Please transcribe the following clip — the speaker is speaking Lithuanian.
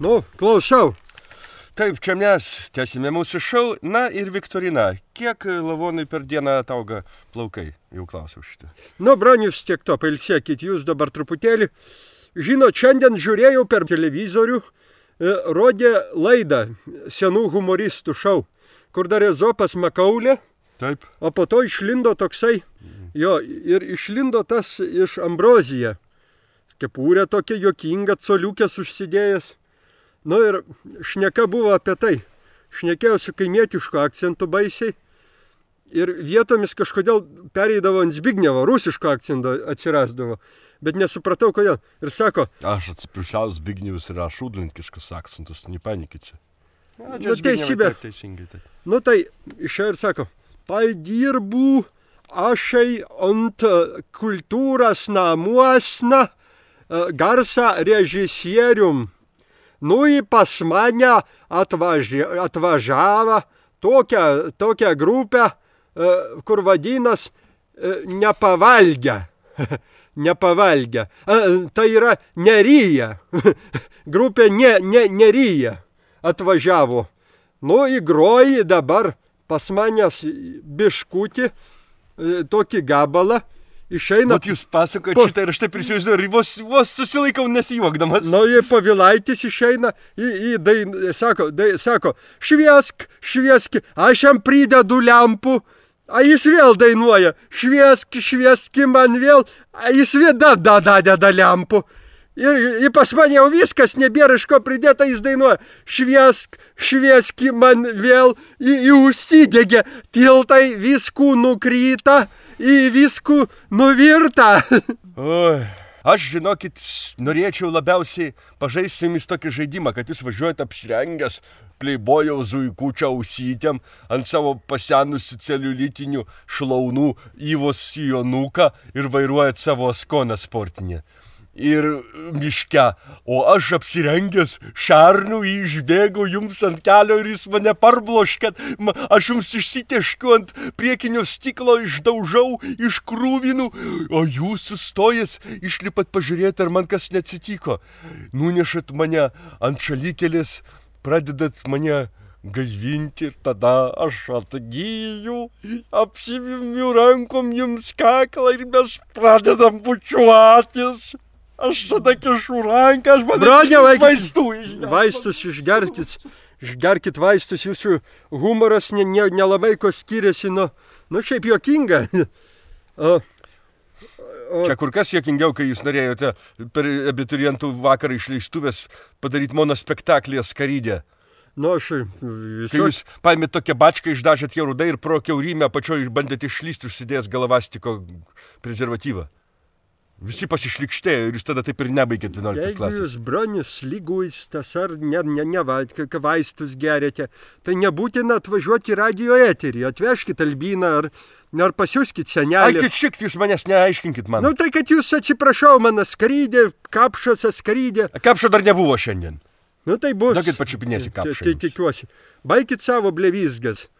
Nu, klausau. Taip, čia mes tęsime mūsų šou. Na ir Viktorina, kiek lavonui per dieną atauga plaukai? Jau klausiau šitą. Nu, bronius, tiek to, pailsėkit jūs dabar truputėlį. Žinot, šiandien žiūrėjau per televizorių, rodė laidą senų humoristų šou, kur dar Ezopas Makaulė. Taip. O po to išlindo toksai, ir išlindo tas iš Ambrozija. Kepurė tokia juokinga, coliukės užsidėjęs. Nu ir šneka buvo apie tai. Šnekėjo su kaimietišku akcentu baisiai. Ir vietomis kažkodėl pereidavo ant Zbignevo, rusiško akcento atsirasdavo. Bet nesupratau, kodėl. Ir sako... Aš atsiprašau, Zbignevas yra šudlinkiškas akcentas, nepanikite. Nu, teisybė. Nu tai išėjo ir sako, tai dirbu ašai ant kultūros namuosna garsa režisierium. Nu į pas mane atvažiavo tokią grupę, kur vadinas nepavalgę. Nepavalgę. Tai yra Neryja. Grupė Neryja atvažiavo. Nu įgroji dabar pas manęs biškutį tokį gabalą. Išeina... Bet jūs pasakojate šitą ir aš taip prisivaizduoju ir vos susilaikau nesijuokdamas. Nu, Povilaitis išeina sako, švieski, aš jam pridedu lempų, a jis vėl dainuoja, švieski man vėl, a jis vėl deda lempų. Ir pas mane jau viskas, nebėra iš ko pridėta, jis dainuoja, švieski man vėl, užsidegė, tiltai viskų nukryta, į viskų nuvirta. Oi, aš, žinokit, norėčiau labiausiai pažaisti su jumis tokį žaidimą, kad jūs važiuojate apsirengęs pleibojaus zuikučio ausytėm ant savo pasenusių celiulitinių šlaunų Yvos sijonuką ir vairuojat savo Skoną sportinę. Ir miške, o aš apsirengęs šarnų išbėgau jums ant kelio ir jis mane parbloškė, aš jums išsiteškiu ant priekinio stiklo, išdaužau, iškrūvinu, o jūs sustojęs išlipat pažiūrėti, ar man kas neatsitiko. Nunešat mane ant šalikelės, pradedat mane gaivinti ir tada aš atgyju, apsivimiu rankom jums kaklą ir mes pradedam bučiuotis. Aš tada kišu ranką, aš manau vaistus išgerkit vaistus, jūsų humoras nelabai ko skiriasi, nu šiaip juokinga. Čia kur kas juokingiau, kai jūs norėjote per abiturientų vakarą išleistuvės padaryti monospektaklį Askarydė. Nu, kai jūs paėmėt tokią bačką, išdažėt ją rudai ir pro kiaurymę apačioj bandėte išlysti užsidėjęs galavastiko prezervatyvą. Visi pasišlikštėjo ir jūs tada taip ir nebaigėt 11 klasės. Jeigu jūs bronius lyguistas ar vaistus gerėte, tai nebūtina atvažiuoti į radio eterį. Atvežkit Albiną ar pasiųskit senelį. Ai, kad šiek jūs manęs neaiškinkit man. Nu tai, kad jūs atsiprašau, man Askarydė, Kapšas Askarydė. Kapšo dar nebuvo šiandien. Nu tai bus. Dakit pačiupinėsi Kapšą. Tikiuosi. Baikit savo blevizgas.